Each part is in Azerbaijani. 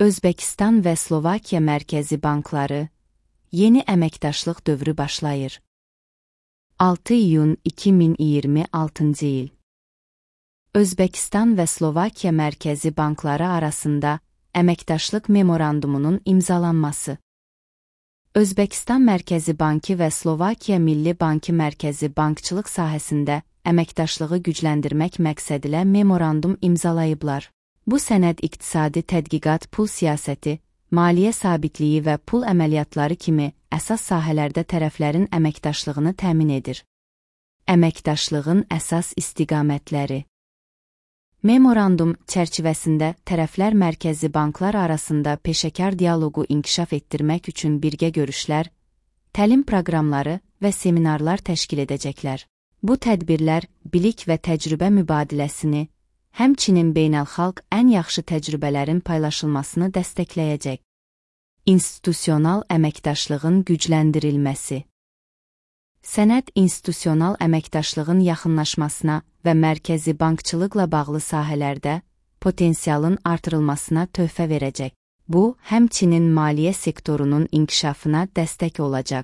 Özbəkistan və Slovakiya mərkəzi bankları, yeni əməkdaşlıq dövrü başlayır. 6 iyun 2026 il. Özbəkistan və Slovakiya mərkəzi bankları arasında əməkdaşlıq memorandumunun imzalanması. Özbəkistan Mərkəzi Bankı və Slovakiya Milli Bankı mərkəzi bankçılıq sahəsində əməkdaşlığı gücləndirmək məqsədilə memorandum imzalayıblar. Bu sənəd iqtisadi tədqiqat, pul siyasəti, maliyyə sabitliyi və pul əməliyyatları kimi əsas sahələrdə tərəflərin əməkdaşlığını təmin edir. Əməkdaşlığın əsas istiqamətləri. Memorandum çərçivəsində tərəflər mərkəzi banklar arasında peşəkar dialoqu inkişaf etdirmək üçün birgə görüşlər, təlim proqramları və seminarlar təşkil edəcəklər. Bu tədbirlər bilik və təcrübə mübadiləsini, həmçinin beynəlxalq ən yaxşı təcrübələrin paylaşılmasını dəstəkləyəcək. İnstitusional əməkdaşlığın gücləndirilməsi. Sənəd institusional əməkdaşlığın yaxınlaşmasına və mərkəzi bankçılıqla bağlı sahələrdə potensialın artırılmasına töhfə verəcək. Bu, həmçinin maliyyə sektorunun inkişafına dəstək olacaq.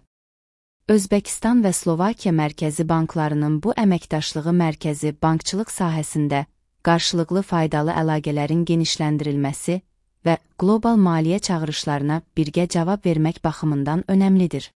Özbəkistan və Slovakiya mərkəzi banklarının bu əməkdaşlığı mərkəzi bankçılıq sahəsində qarşılıqlı faydalı əlaqələrin genişləndirilməsi və qlobal maliyyə çağırışlarına birgə cavab vermək baxımından önəmlidir.